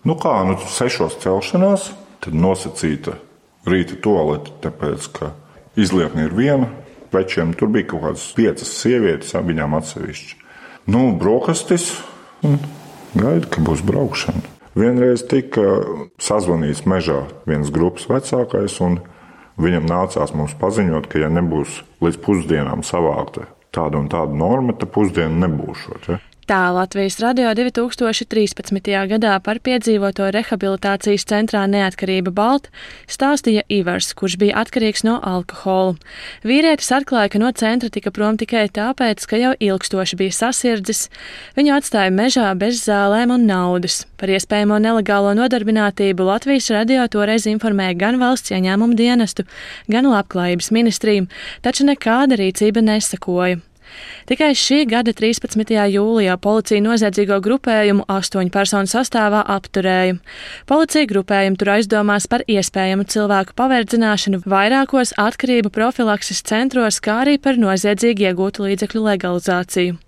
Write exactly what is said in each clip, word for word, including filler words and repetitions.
Nu kā, nu sešos celšanās, tad nosacīta rīta tualete, tāpēc, ka izliekne ir viena, večiem tur bija kaut kādas piecas sievietes, viņām atsevišķi. Nu, brokastis un gaida, ka būs braukšana. Vienreiz tika sazvanīts mežā viens grupas vecākais, un viņam nācās mums paziņot, ka ja nebūs līdz pusdienām savākta tāda un tāda norma, tad pusdiena nebūšot. Ja? Tā Latvijas radio divi tūkstoši trīspadsmitajā gadā par piedzīvoto rehabilitācijas centrā Neatkarība Balt stāstīja Ivars, kurš bija atkarīgs no alkohola. Vīrietis atklāja, ka no centra tika prom tikai tāpēc, ka jau ilgstoši bija sasirdzis. Viņu atstāja mežā bez zālēm un naudas. Par iespējamo nelegālo nodarbinātību Latvijas radio toreiz informēja gan valsts ieņēmumu dienestu, gan labklājības ministriju, taču nekāda rīcība nesakoja. Tikai šī gada trīspadsmitajā jūlijā policija noziedzīgo grupējumu astoņu personu sastāvā apturēja. Policija grupējumu tur aizdomās par iespējamu cilvēku paverdzināšanu vairākos atkarību profilakses centros, kā arī par noziedzīgi iegūtu līdzekļu legalizāciju.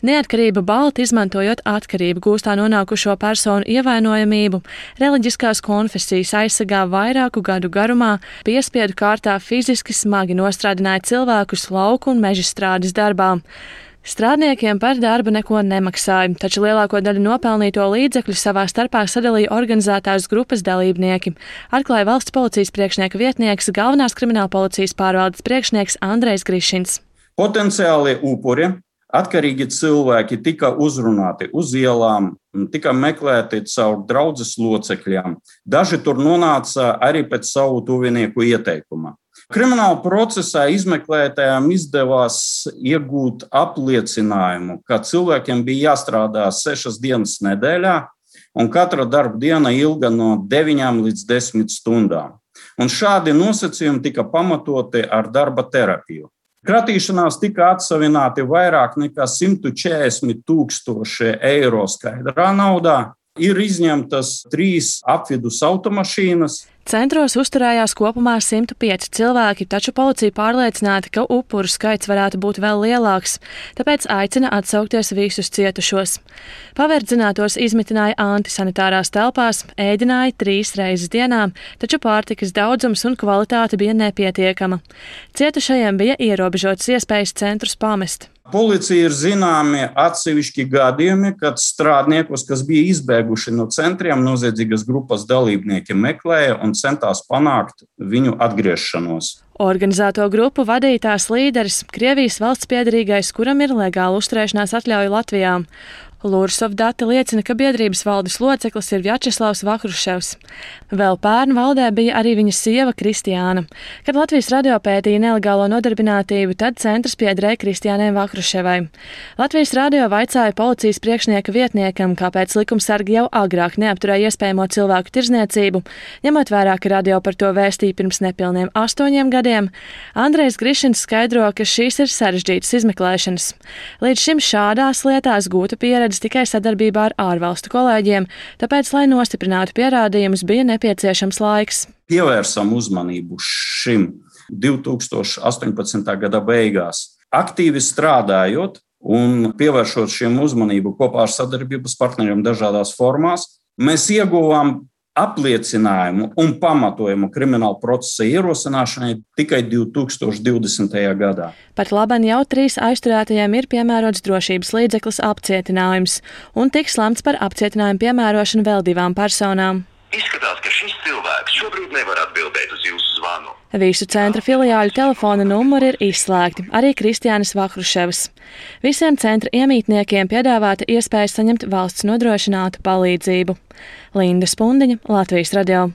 Neatkarība Balta, izmantojot atkarību gūstā nonākušo personu ievainojamību, reliģiskās konfesijas aizsargā vairāku gadu garumā, piespiedu kārtā fiziski smagi nostrādināja cilvēkus lauku un meža strādes darbā. Strādniekiem par darbu neko nemaksāja, taču lielāko daļu nopelnīto līdzekļu savā starpā sadalīja organizētās grupas dalībnieki, atklāja valsts policijas priekšnieka vietnieks, galvenās krimināla policijas pārvaldes priekšnieks Andrejs Grišins. Potenciālie upuri, atkarīgi cilvēki tika uzrunāti uz ielām, tika meklēti caur draudzes locekļiem. Daži tur nonāca arī pēc savu tuvinieku ieteikuma. Krimināla procesā izmeklētājiem izdevās iegūt apliecinājumu, ka cilvēkiem bija jāstrādā sešas dienas nedēļā, un katra darba diena ilga no deviņām līdz desmit stundām. Un šādi nosacījumi tika pamatoti ar darba terapiju. Kratīšanās tika atsavināti vairāk nekā simt četrdesmit tūkstoši eiro skaidrā naudā. Ir izņemtas trīs apvidus automašīnas. Centros uzturējās kopumā simt pieci cilvēki, taču policija pārliecināta, ka upuru skaits varētu būt vēl lielāks, tāpēc aicina atsaukties visus cietušos. Paverdzinātos izmitināja antisanitārās telpās, ēdināja trīs reizes dienā, taču pārtikas daudzums un kvalitāte bija nepietiekama. Cietušajiem bija ierobežotas iespējas centrus pamest. Policija ir zināmi atsevišķi gadījumi, kad strādniekus, kas bija izbēguši no centriem, noziedzīgas grupas dalībnieki meklēja un centās panākt viņu atgriešanos. Organizēto grupu vadītājs līderis, Krievijas valsts piederīgais, kuram ir legāla uzturēšanās atļauja Latvijā. Lursov dati liecina, ka biedrības valdes loceklis ir Vjačeslavs Vahruševs. Vēl pērn valdē bija arī viņa sieva Kristiāna. Kad Latvijas radio pētīja nelegālo nodarbinātību, tad centrs piederēja Kristiānai Vahruševai. Latvijas radio vaicāja policijas priekšnieka vietniekam, kāpēc likumsargi jau agrāk neapturēja iespējamo cilvēku tirdzniecību, ņemot vērā, ka radio par to vēstīja pirms nepilniem astoņiem gadiem. Andrejs Grišins skaidro, ka šīs ir sarežģītas izmeklēšanas. Līdz šim šādās lietās gūta pieredze tikai sadarbībā ar ārvalstu kolēģiem, tāpēc, lai nostiprinātu pierādījumus, bija nepieciešams laiks. Pievērsam uzmanību šim divi tūkstoši astoņpadsmitā gada beigās. Aktīvi strādājot un pievēršot šiem uzmanību kopā ar sadarbības partneriem dažādās formās, mēs ieguvām apliecinājumu un pamatojumu krimināla procesa ierosināšanai tikai divi tūkstoši divdesmitajā gadā. Pat laban jau trīs aizturētajiem ir piemērots drošības līdzeklis apcietinājums, un tiks lemts par apcietinājumu piemērošanu vēl divām personām. Izskatās, ka šis cilvēks šobrīd nevar atbildēt uz jūsu zvanu. Visu centra filiāļu telefona numuri ir izslēgti, arī Kristiānas Vahruševas. Visiem centra iemītniekiem piedāvāta iespēja saņemt valsts nodrošinātu palīdzību. Linda Spundiņa, Latvijas radio.